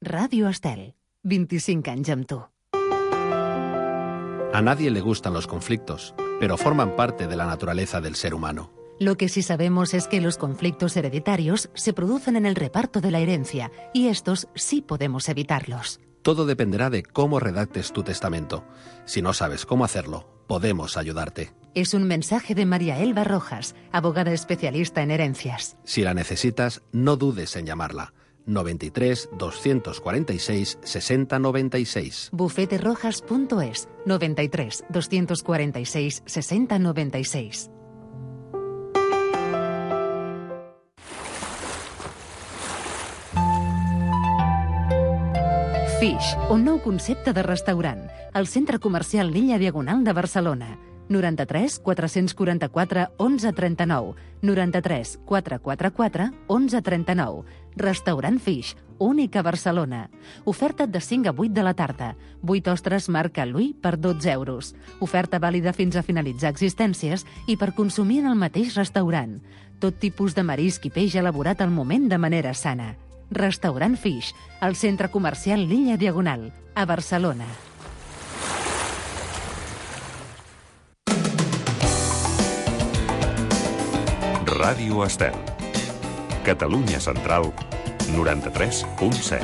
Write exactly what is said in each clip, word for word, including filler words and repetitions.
Radio Estel, veinticinc anys amb tu. A nadie le gustan los conflictos, pero forman parte de la naturaleza del ser humano. Lo que sí sabemos es que los conflictos hereditarios se producen en el reparto de la herencia y estos sí podemos evitarlos. Todo dependerá de cómo redactes tu testamento. Si no sabes cómo hacerlo, podemos ayudarte. Es un mensaje de María Elba Rojas, abogada especialista en herencias. Si la necesitas, no dudes en llamarla. noventa y tres, doscientos cuarenta y seis, sesenta noventa y seis. bufete rojas punto es, noventa y tres, doscientos cuarenta y seis, sesenta noventa y seis. Fish, un nou concepte de restaurant. Al centre comercial Lilla Diagonal de Barcelona. noranta-tres, quatre-cents quaranta-quatre, onze trenta-nou. noranta-tres, quatre-cents quaranta-quatre, onze trenta-nou. Restaurant Fish, únic a Barcelona. Oferta de cinc a vuit de la tarda. vuit ostres marca Louis per dotze euros. Oferta vàlida fins a finalitzar existències i per consumir en el mateix restaurant. Tot tipus de marisc i peix elaborat al moment de manera sana. Restaurant Fish, al centre comercial Lilla Diagonal, a Barcelona. Ràdio Estel. Catalunya Central, noranta-tres punt set.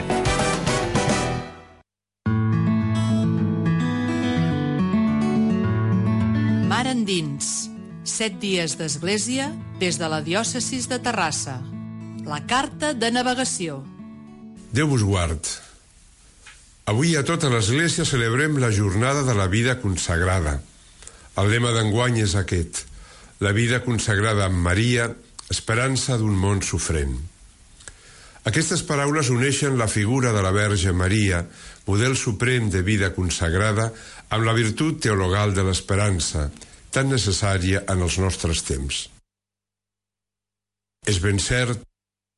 Mar endins. Set dies d'església des de la diòcesis de Terrassa. La carta de navegació. Déu vos guard. Avui a tota l'Església celebrem la jornada de la vida consagrada. El lema d'enguany és aquest: la vida consagrada amb Maria, esperança d'un món sofrent. Aquestes paraules uneixen la figura de la Verge Maria, model suprem de vida consagrada, amb la virtut teologal de l'esperança, tan necessària en els nostres temps. És ben cert,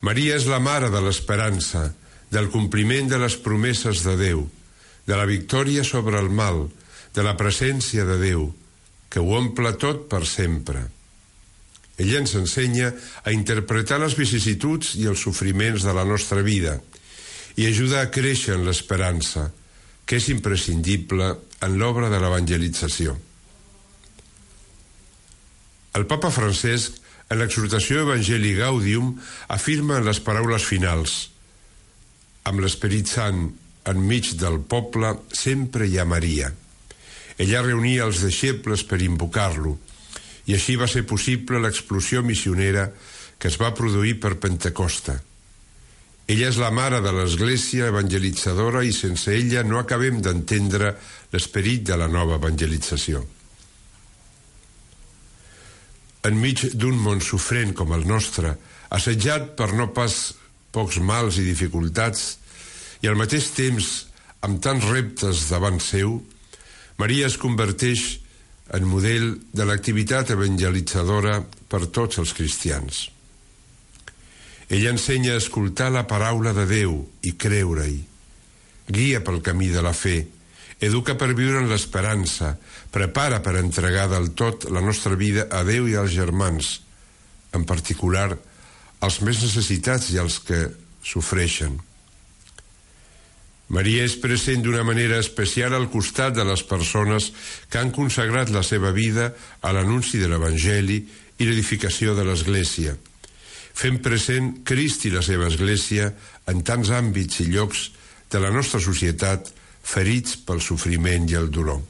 Maria és la mare de l'esperança, del compliment de les promeses de Déu, de la victòria sobre el mal, de la presència de Déu, que ho omple tot per sempre. Ella ens ensenya a interpretar les vicissituds i els sofriments de la nostra vida i ajuda a créixer en l'esperança, que és imprescindible en l'obra de l'evangelització. El Papa Francesc, en l'exhortació Evangelii Gaudium, afirma en les paraules finals: amb l'Esperit Sant enmig del poble sempre hi ha Maria. Ella reunia els deixebles per invocar-lo, i així va ser possible l'explosió missionera que es va produir per Pentecosta. Ella és la mare de l'Església evangelitzadora i sense ella no acabem d'entendre l'esperit de la nova evangelització. Enmig d'un món sofrent com el nostre, assetjat per no pas pocs mals i dificultats, i al mateix temps amb tants reptes davant seu, Maria es converteix en model de l'activitat evangelitzadora per tots els cristians. Ella ensenya a escoltar la paraula de Déu i creure-hi, guia pel camí de la fe, educa per viure en l'esperança, prepara per entregar del tot la nostra vida a Déu i als germans, en particular als més necessitats i als que sofreixen. Maria és present d'una manera especial al costat de les persones que han consagrat la seva vida a l'anunci de l'Evangeli i l'edificació de l'Església, fent present Crist i la seva Església en tants àmbits i llocs de la nostra societat ferits pel sofriment i el dolor.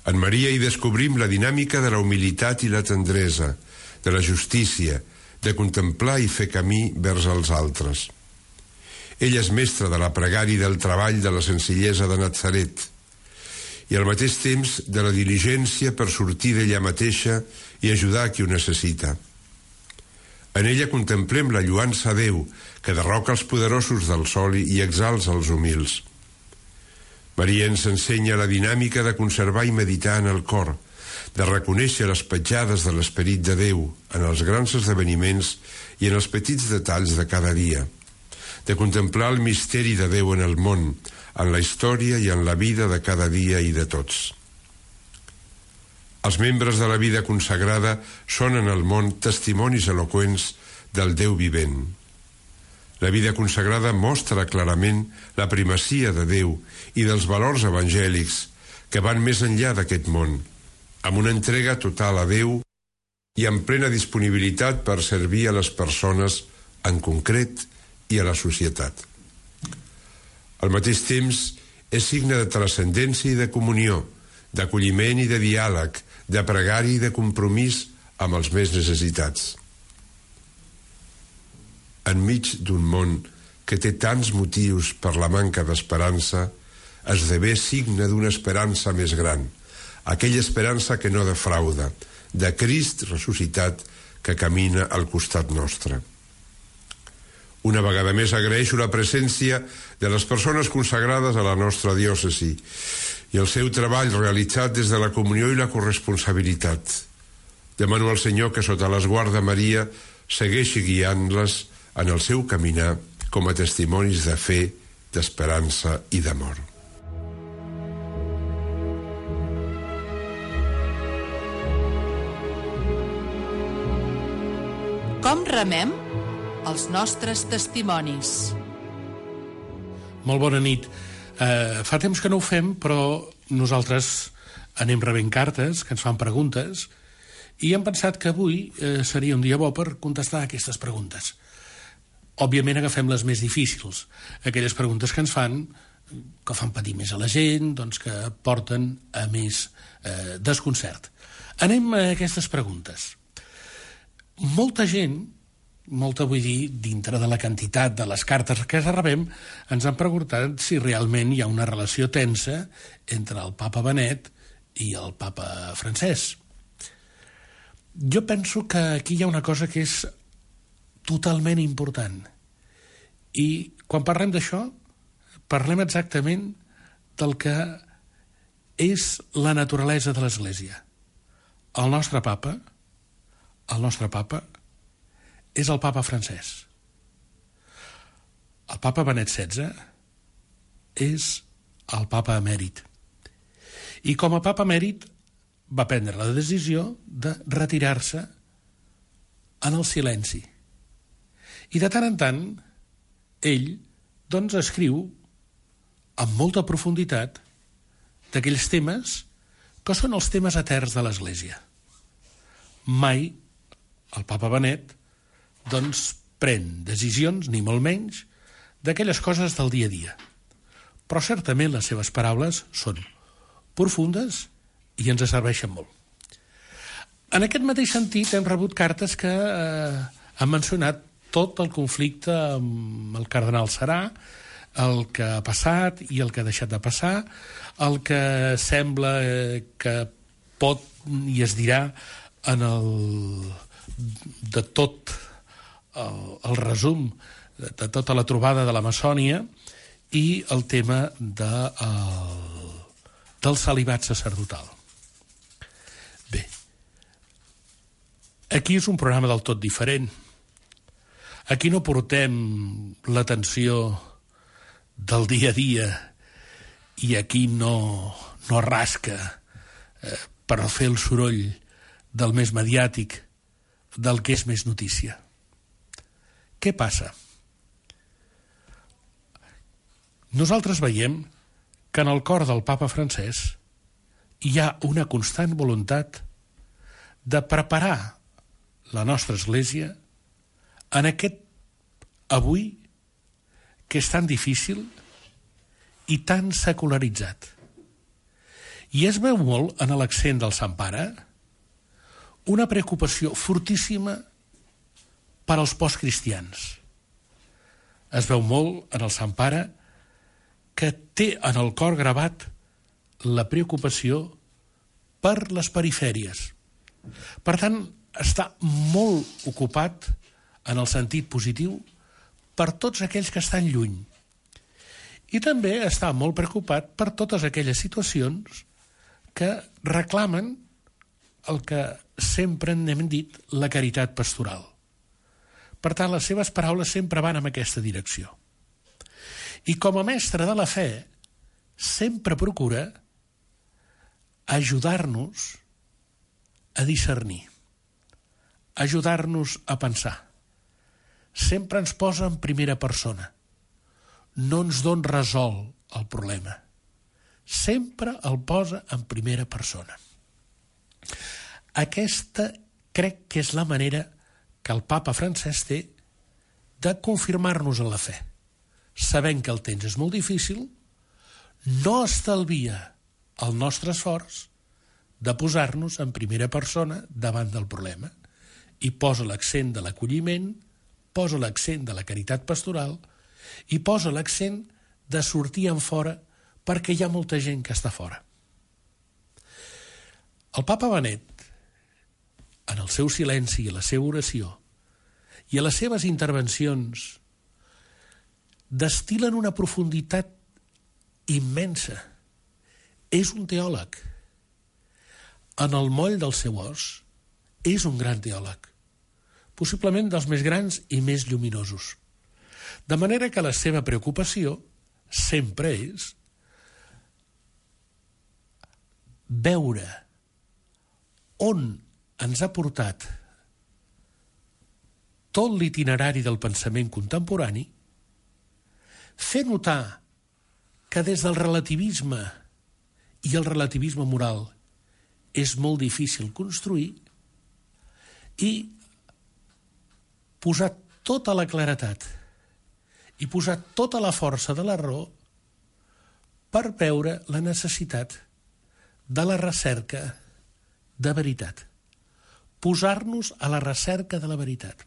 En Maria hi descobrim la dinàmica de la humilitat i la tendresa, de la justícia, de contemplar i fer camí vers els altres. Ella és mestra de la pregària i del treball de la senzillesa de Natzaret i al mateix temps de la diligència per sortir d'ella mateixa i ajudar a qui ho necessita. En ella contemplem la lloança a Déu, que derroca els poderosos del sol i exalça els humils. Maria ens ensenya la dinàmica de conservar i meditar en el cor, de reconèixer les petjades de l'esperit de Déu en els grans esdeveniments i en els petits detalls de cada dia, de contemplar el misteri de Déu en el món, en la història i en la vida de cada dia i de tots. Els membres de la vida consagrada són en el món testimonis eloqüents del Déu vivent. La vida consagrada mostra clarament la primacia de Déu i dels valors evangèlics que van més enllà d'aquest món, amb una entrega total a Déu i amb plena disponibilitat per servir a les persones en concret i a la societat. Al mateix temps, és signe de transcendència i de comunió, d'acolliment i de diàleg, de pregària i de compromís amb els més necessitats. Enmig d'un món que té tants motius per la manca d'esperança, esdevé signe d'una esperança més gran, aquella esperança que no defrauda, de Crist ressuscitat que camina al costat nostre. Una vegada més agraeixo la presència de les persones consagrades a la nostra diòcesi i el seu treball realitzat des de la comunió i la corresponsabilitat. Demano al Senyor que sota l'esguard de Maria segueixi guiant-les en el seu caminar com a testimonis de fe, d'esperança i d'amor. Com remem els nostres testimonis? Molt bona nit. Uh, fa temps que no ho fem, però nosaltres anem rebent cartes que ens fan preguntes i hem pensat que avui uh, seria un dia bo per contestar aquestes preguntes. Òbviament agafem les més difícils, aquelles preguntes que ens fan, que fan patir més a la gent, doncs que porten a més eh, desconcert. Anem a aquestes preguntes. Molta gent, molta vull dir, dintre de la quantitat de les cartes que rebem, ens han preguntat si realment hi ha una relació tensa entre el papa Benet i el papa Francesc. Jo penso que aquí hi ha una cosa que és totalment important. I quan parlem d'això, parlem exactament del que és la naturalesa de l'Església. El nostre papa, el nostre papa, és el papa Francesc. El papa Benet setze és el papa emèrit. I com a papa emèrit va prendre la decisió de retirar-se en el silenci. I de tant en tant, ell, doncs, escriu amb molta profunditat d'aquells temes que són els temes eterns de l'Església. Mai el papa Benet, doncs, pren decisions, ni molt menys, d'aquelles coses del dia a dia. Però certament les seves paraules són profundes i ens serveixen molt. En aquest mateix sentit hem rebut cartes que eh, han mencionat tot el conflicte amb el cardenal Serà, el que ha passat i el que ha deixat de passar, el que sembla que pot i es dirà en el, de tot el, el resum de tota la trobada de la Maçònia i el tema de, el, del celibat sacerdotal. Bé, aquí és un programa del tot diferent. Aquí no portem l'atenció del dia a dia i aquí no, no rasca eh, per fer el soroll del més mediàtic, del que és més notícia. Què passa? Nosaltres veiem que en el cor del papa Francesc hi ha una constant voluntat de preparar la nostra Església en aquest avui que és tan difícil i tan secularitzat. I es veu molt en l'accent del Sant Pare una preocupació fortíssima per als postcristians. Es veu molt en el Sant Pare que té en el cor gravat la preocupació per les perifèries. Per tant, està molt ocupat en el sentit positiu per tots aquells que estan lluny. I també està molt preocupat per totes aquelles situacions que reclamen el que sempre n'hem dit la caritat pastoral. Per tant, les seves paraules sempre van en aquesta direcció. I com a mestre de la fe, sempre procura ajudar-nos a discernir, ajudar-nos a pensar, sempre ens posa en primera persona. No ens don resol el problema. Sempre el posa en primera persona. Aquesta crec que és la manera que el papa Francesc té de confirmar-nos en la fe. Sabent que el temps és molt difícil, no estalvia el nostre esforç de posar-nos en primera persona davant del problema i posa l'accent de l'acolliment, posa l'accent de la caritat pastoral i posa l'accent de sortir en fora perquè hi ha molta gent que està fora. El papa Benet, en el seu silenci i la seva oració i a les seves intervencions, destil·len una profunditat immensa. És un teòleg. En el moll del seu os, és un gran teòleg, possiblement dels més grans i més lluminosos. De manera que la seva preocupació sempre és veure on ens ha portat tot l'itinerari del pensament contemporani, fer notar que des del relativisme i el relativisme moral és molt difícil construir i posar tota la claretat i posar tota la força de la raó per veure la necessitat de la recerca de veritat. Posar-nos a la recerca de la veritat.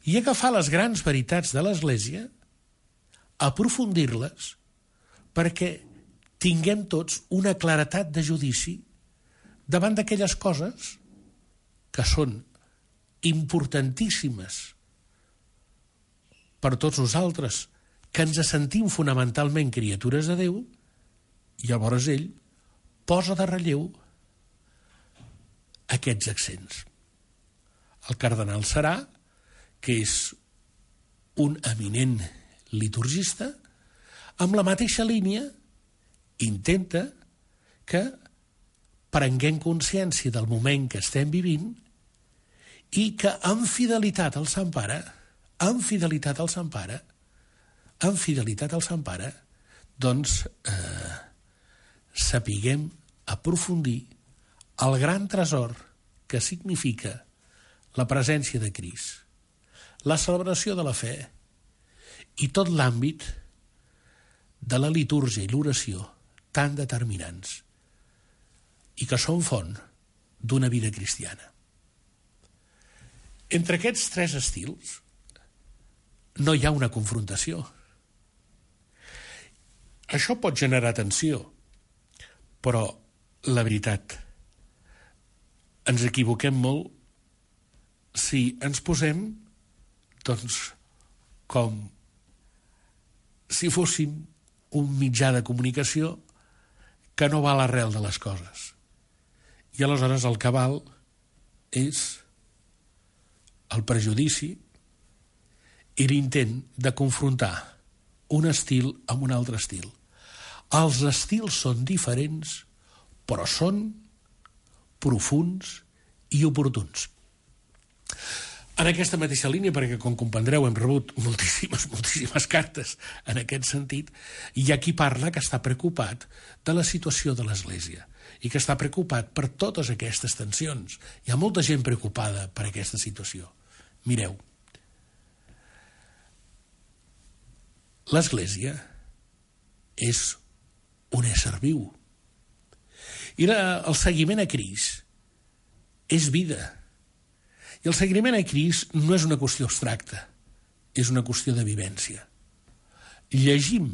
I agafar les grans veritats de l'Església, aprofundir-les, perquè tinguem tots una claretat de judici davant d'aquelles coses que són importantíssimes per tots nosaltres, que ens sentim fonamentalment criatures de Déu, i llavors ell posa de relleu aquests accents. El cardenal Serà, que és un eminent liturgista, amb la mateixa línia intenta que prenguem consciència del moment que estem vivint i que amb fidelitat al Sant Pare, amb fidelitat al Sant Pare, amb fidelitat al Sant Pare, doncs eh, sapiguem aprofundir el gran tresor que significa la presència de Crist, la celebració de la fe i tot l'àmbit de la litúrgia i l'oració tan determinants i que són font d'una vida cristiana. Entre aquests tres estils no hi ha una confrontació. Això pot generar tensió, però la veritat, ens equivoquem molt si ens posem, doncs, com si fóssim un mitjà de comunicació que no va a l'arrel de les coses. I aleshores el que val és el prejudici i l'intent de confrontar un estil amb un altre estil. Els estils són diferents, però són profunds i oportuns. En aquesta mateixa línia, perquè com comprendreu hem rebut moltíssimes, moltíssimes cartes en aquest sentit, hi ha qui parla que està preocupat de la situació de l'Església i que està preocupat per totes aquestes tensions. Hi ha molta gent preocupada per aquesta situació. Mireu, l'Església és un ésser viu i la, el seguiment a Crist és vida. I el seguiment a Crist no és una qüestió abstracta, és una qüestió de vivència. Llegim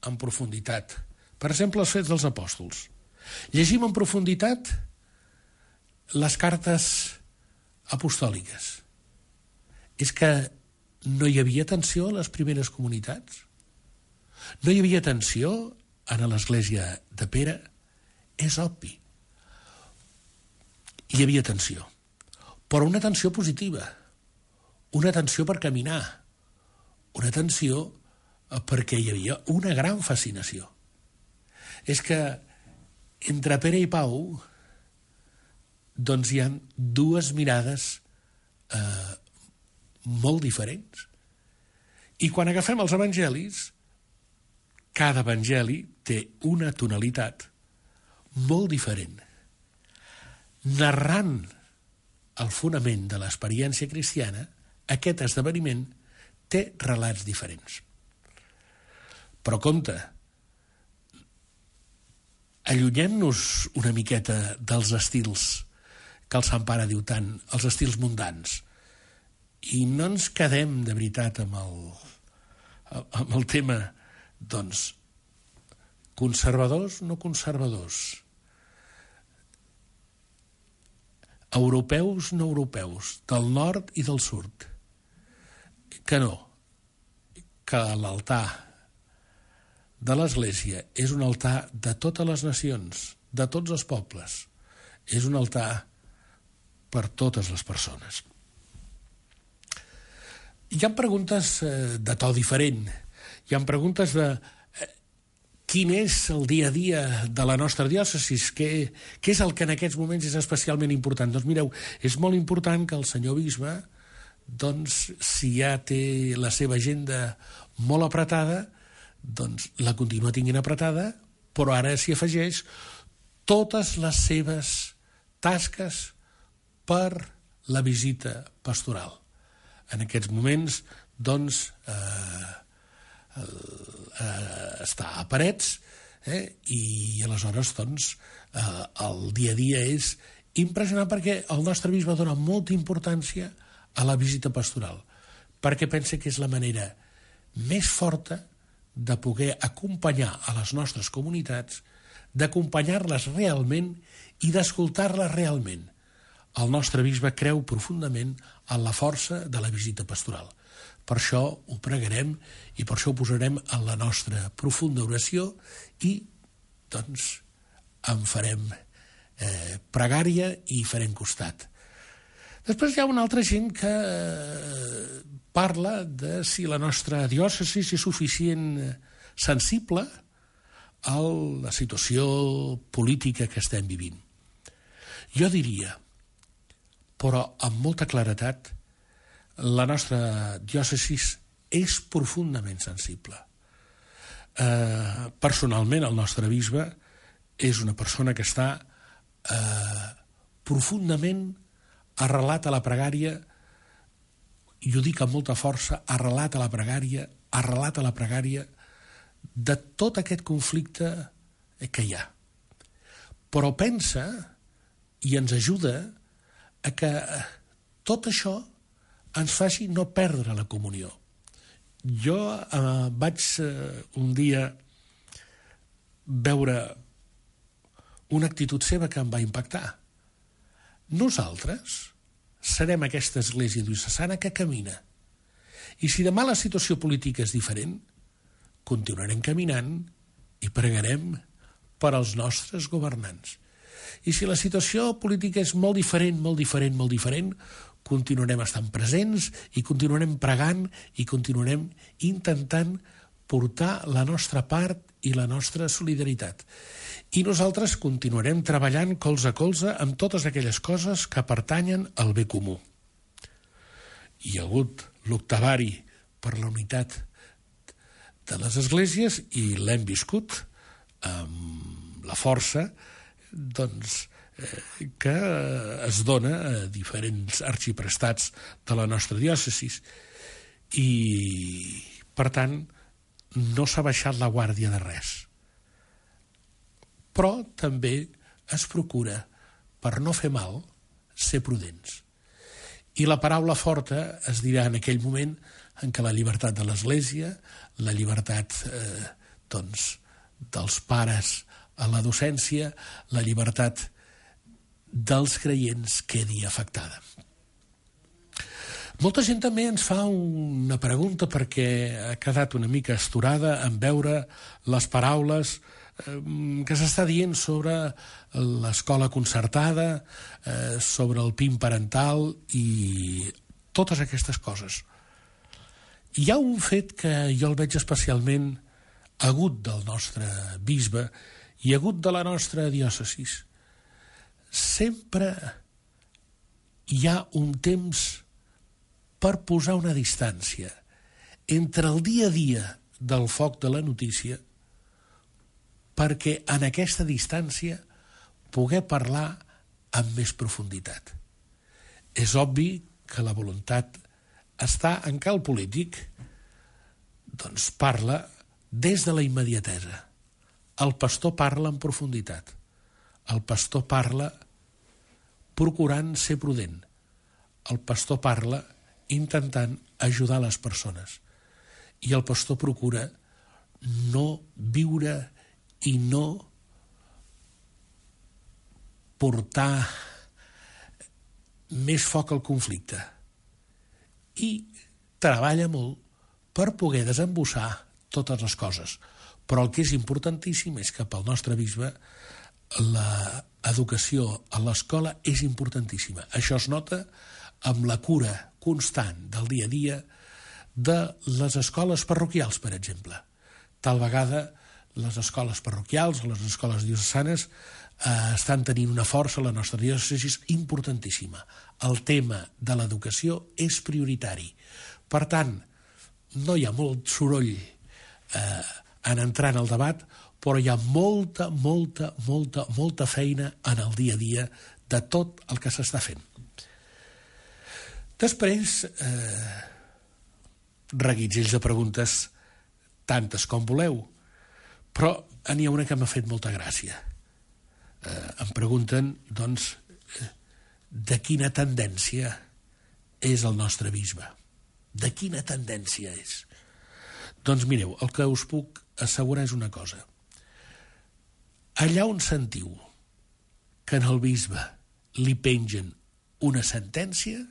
en profunditat, per exemple, els Fets dels Apòstols. Llegim en profunditat les cartes apostòliques. És que no hi havia tensió a les primeres comunitats? No hi havia tensió en l'Església de Pere? És obvi. Hi havia tensió, però una tensió positiva, una tensió per caminar, una tensió perquè hi havia una gran fascinació. És que entre Pere i Pau doncs hi ha dues mirades eh, molt diferents. I quan agafem els evangelis, cada evangeli té una tonalitat molt diferent, narrant el fonament de l'experiència cristiana. Aquest esdeveniment té relats diferents. Però compte, allunyem-nos una miqueta dels estils que el Sant Pare diu tant, els estils mundans, i no ens quedem de veritat amb el, amb el tema, doncs, conservadors, no conservadors, europeus, no europeus, del nord i del sud, que no, que l'altar de l'Església és un altar de totes les nacions, de tots els pobles, és un altar per totes les persones. Hi ha preguntes de to diferent, hi ha preguntes de quin és el dia a dia de la nostra diòcesi, què, què és el que en aquests moments és especialment important. Doncs mireu, és molt important que el senyor bisbe, doncs, si ja té la seva agenda molt apretada, doncs la continua tinguent apretada, però ara s'hi afegeix totes les seves tasques per la visita pastoral. En aquests moments, doncs, eh, eh, està a Parets, eh, i aleshores, doncs, eh, el dia a dia és impressionant perquè el nostre bisbe dona molta importància a la visita pastoral, perquè pensa que és la manera més forta de poder acompanyar a les nostres comunitats, d'acompanyar-les realment i d'escoltar-les realment. El nostre bisbe creu profundament en la força de la visita pastoral. Per això ho pregarem i per això ho posarem en la nostra profunda oració i, doncs, en farem eh, pregària i farem costat. Després hi ha una altra gent que eh, parla de si la nostra diòcesi és suficient sensible a la situació política que estem vivint. Jo diria, però amb molta claretat, la nostra diòcesi és profundament sensible. Eh, personalment, el nostre bisbe és una persona que està eh, profundament arrelat a la pregària, i ho dic amb molta força, arrelat a la pregària, arrelat a la pregària de tot aquest conflicte que hi ha. Però pensa i ens ajuda a que tot això ens faci no perdre la comunió. Jo eh, vaig eh, un dia veure una actitud seva que em va impactar. Nosaltres serem aquesta església diocesana que camina. I si demà la situació política és diferent, continuarem caminant i pregarem per als nostres governants. I si la situació política és molt diferent, molt diferent, molt diferent, continuarem estant presents i continuarem pregant i continuarem intentant portar la nostra part i la nostra solidaritat. I nosaltres continuarem treballant colze a colze amb totes aquelles coses que pertanyen al bé comú. Hi ha hagut l'octavari per la unitat de les esglésies i l'hem viscut amb la força, doncs, eh, que es dona a diferents arxiprestats de la nostra diòcesi. I, per tant, no s'ha baixat la guàrdia de res. Però també es procura, per no fer mal, ser prudents. I la paraula forta es dirà en aquell moment en què la llibertat de l'Església, la llibertat eh, doncs, dels pares a la docència, la llibertat dels creients quedi afectada. Molta gent també ens fa una pregunta perquè ha quedat una mica astorada en veure les paraules eh, que s'està dient sobre l'escola concertada, eh, sobre el P I M parental i totes aquestes coses. Hi ha un fet que jo el veig especialment agut del nostre bisbe i agut de la nostra diòcesi. Sempre hi ha un temps per posar una distància entre el dia a dia del foc de la notícia, perquè en aquesta distància poder parlar amb més profunditat. És obvi que la voluntat està en què el polític doncs parla des de la immediatesa. El pastor parla en profunditat. El pastor parla procurant ser prudent. El pastor parla intentant ajudar les persones. I el pastor procura no viure i no portar més foc al conflicte. I treballa molt per poder desembussar totes les coses. Però el que és importantíssim és que pel nostre bisbe l'educació a l'escola és importantíssima. Això es nota amb la cura constant del dia a dia de les escoles parroquials, per exemple. Tal vegada les escoles parroquials o les escoles diocesanes eh, estan tenint una força a la nostra diòcesi importantíssima. El tema de l'educació és prioritari. Per tant, no hi ha molt soroll eh, en entrar en el debat, però hi ha molta, molta, molta, molta feina en el dia a dia de tot el que s'està fent. Després, eh, reguitzels de preguntes, tantes com voleu, però n'hi ha una que m'ha fet molta gràcia. Eh, em pregunten, doncs, eh, de quina tendència és el nostre bisbe? De quina tendència és? Doncs mireu, el que us puc assegurar és una cosa. Allà on sentiu que en el bisbe li pengen una sentència,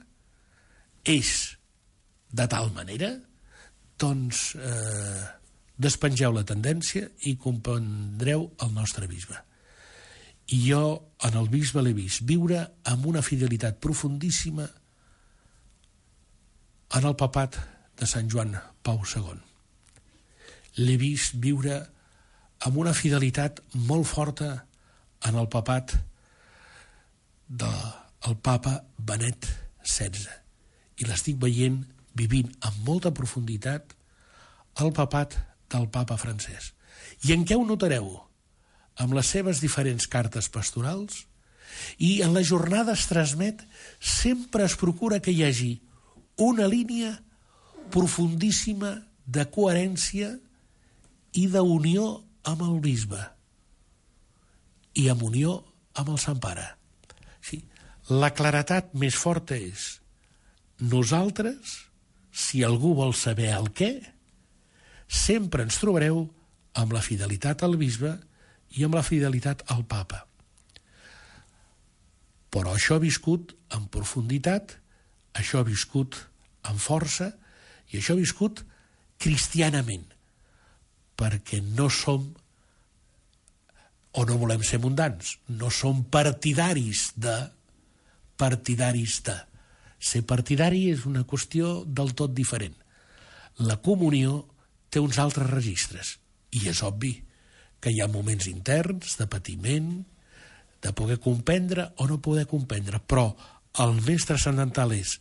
és de tal manera, doncs eh, despengeu la tendència i comprendreu el nostre bisbe. I jo en el bisbe l'he vist viure amb una fidelitat profundíssima en el papat de Sant Joan Pau segon. L'he vist viure amb una fidelitat molt forta en el papat del papa Benet setze. I l'estic veient vivint amb molta profunditat el papat del papa francès. I en què ho notareu? Amb les seves diferents cartes pastorals, i en les jornades transmet sempre es procura que hi hagi una línia profundíssima de coherència i d'unió amb el bisbe i amb unió amb el Sant Pare. Sí, la claretat més forta és nosaltres, si algú vol saber el què, sempre ens trobareu amb la fidelitat al bisbe i amb la fidelitat al papa. Però això ha viscut en profunditat, això ha viscut amb força i això ha viscut cristianament, perquè no som o no volem ser mundans, no som partidaris de partidaris de. Ser partidari és una qüestió del tot diferent. La comunió té uns altres registres i és obvi que hi ha moments interns de patiment, de poder comprendre o no poder comprendre, però el més transcendental és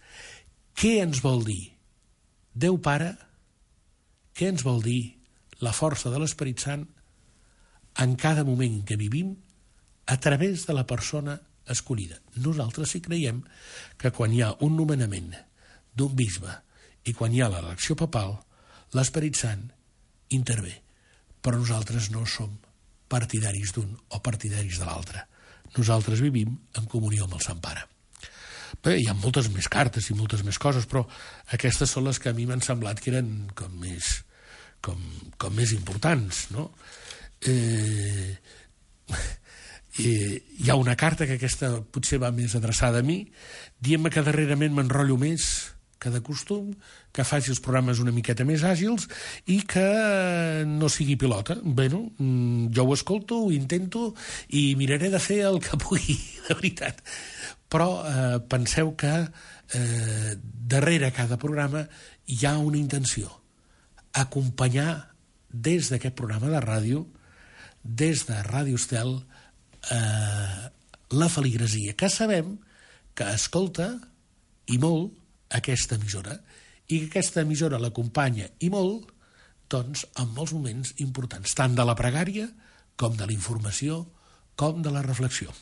què ens vol dir Déu Pare, què ens vol dir la força de l'Esperit Sant en cada moment que vivim a través de la persona escollida. Nosaltres sí creiem que quan hi ha un nomenament d'un bisbe i quan hi ha l'elecció papal, l'Esperit Sant intervé, però nosaltres no som partidaris d'un o partidaris de l'altre. Nosaltres vivim en comunió amb el Sant Pare. Bé, hi ha moltes més cartes i moltes més coses, però aquestes són les que a mi m'han semblat que eren com més, com, com més importants, no? Eh... I hi ha una carta que aquesta potser va més adreçada a mi, dient-me que darrerament m'enrotllo més que de costum, que faci els programes una miqueta més àgils i que no sigui pilota. Bueno, jo ho escolto, ho intento i miraré de fer el que pugui, de veritat. Però eh, penseu que eh, darrere cada programa hi ha una intenció. Acompanyar des d'aquest programa de ràdio, des de Ràdio Estel, Eh, la feligresia, que sabem que escolta i molt aquesta emissora i que aquesta emissora l'acompanya i molt, doncs, en molts moments importants, tant de la pregària com de la informació, com de la reflexió.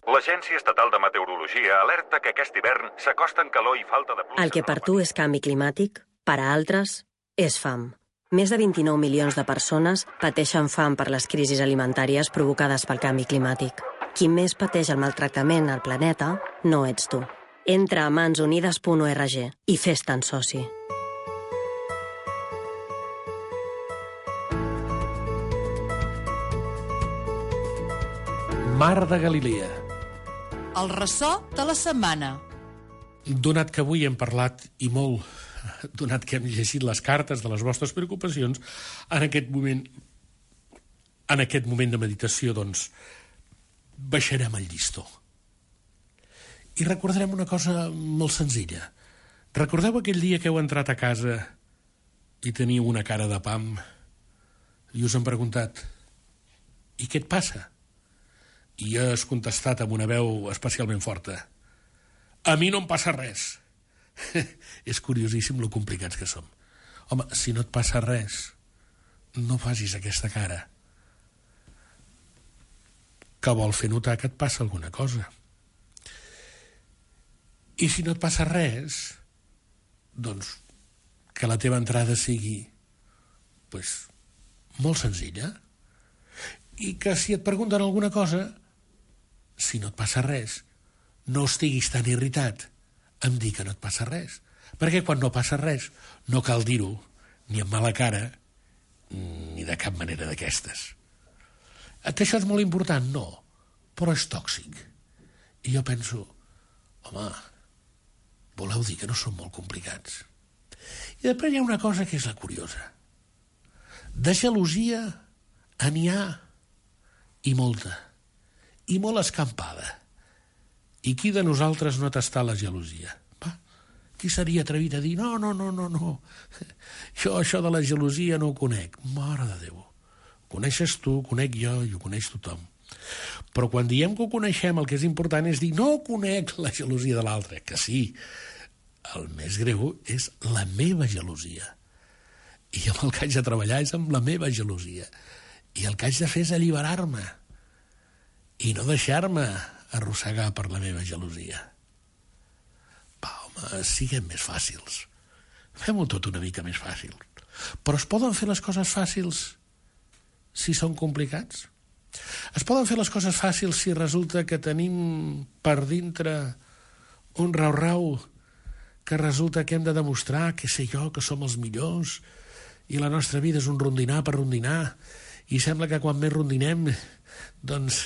L'Agència Estatal de Meteorologia alerta que aquest hivern s'acosten calor i falta de pluja. El que per tu és canvi climàtic, per a altres és fam. Més de vint-i-nou milions de persones pateixen fam per les crisis alimentàries provocades pel canvi climàtic. Qui més pateix el maltractament al planeta no ets tu. Entra a mans unides punt org i fes-te'n soci. Mar de Galilea. El ressò de la setmana. Donat que avui hem parlat i molt, donat que hem llegit les cartes de les vostres preocupacions, en aquest moment, en aquest moment de meditació, doncs, baixarem el llistó. I recordarem una cosa molt senzilla. Recordeu aquell dia que heu entrat a casa i teniu una cara de pam i us han preguntat «I què et passa?» I has contestat amb una veu especialment forta «A mi no em passa res». És curiosíssim lo complicats que som. Home, si no et passa res, no facis aquesta cara que vol fer notar que et passa alguna cosa. I si no et passa res, doncs que la teva entrada sigui pues, molt senzilla i que si et pregunten alguna cosa, si no et passa res, no estiguis tan irritat em dir que no et passa res, perquè quan no passa res no cal dir-ho ni amb mala cara ni de cap manera d'aquestes. Que això és molt important? No, però és tòxic. I jo penso, home, voleu dir que no són molt complicats? I després hi ha una cosa que és la curiosa. De gelosia n'hi ha i molta, i molt escampada. I qui de nosaltres no t'està la gelosia? Va, qui seria atrevit a dir, no, no, no, no, no, jo això de la gelosia no ho conec. Mare de Déu, ho coneixes tu, ho conec jo i ho coneix tothom. Però quan diem que ho coneixem, el que és important és dir, no conec la gelosia de l'altre, que sí, el més greu és la meva gelosia. I amb el que haig de treballar és amb la meva gelosia. I el que haig de fer és alliberar-me i no deixar-me arrossegar per la meva gelosia. Va, home, siguem més fàcils. Fem-ho tot una mica més fàcil. Però es poden fer les coses fàcils si són complicats? Es poden fer les coses fàcils si resulta que tenim per dintre un rau-rau que resulta que hem de demostrar que sé jo, que som els millors i la nostra vida és un rondinar per rondinar i sembla que quan més rondinem doncs,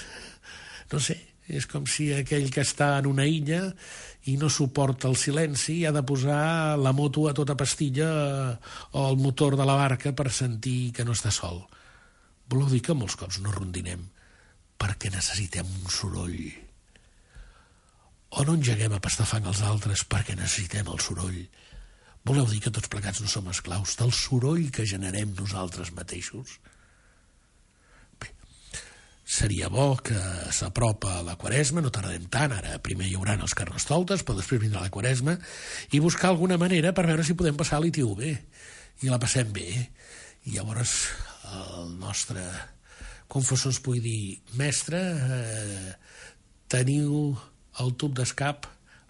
no sé, és com si aquell que està en una illa i no suporta el silenci ha de posar la moto a tota pastilla o el motor de la barca per sentir que no està sol. Voleu dir que molts cops no rondinem perquè necessitem un soroll. O no engeguem a pastar fang als altres perquè necessitem el soroll. Voleu dir que tots plegats no som esclaus del soroll que generem nosaltres mateixos? Bé, seria bo que s'apropa la Quaresma, no tardem tant, ara primer hi haurà els carnestoltes, però després vindrà la Quaresma, i buscar alguna manera per veure si podem passar l'I T U bé, i la passem bé. I llavors el nostre confessor ens pugui dir, mestre, eh, teniu el tub d'escap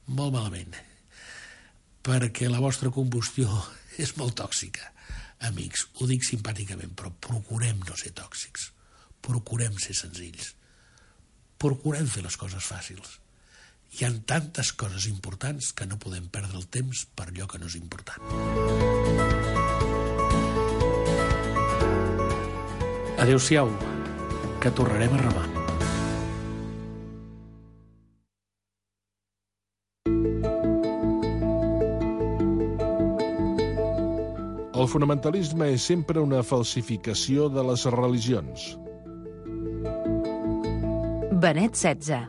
molt malament, perquè la vostra combustió és molt tòxica. Amics, ho dic simpàticament, però procurem no ser tòxics, procurem ser senzills, procurem fer les coses fàcils. Hi ha tantes coses importants que no podem perdre el temps per allò que no és important. Adéu-siau, que tornarem a remar. El fonamentalisme és sempre una falsificació de les religions. Benet setze.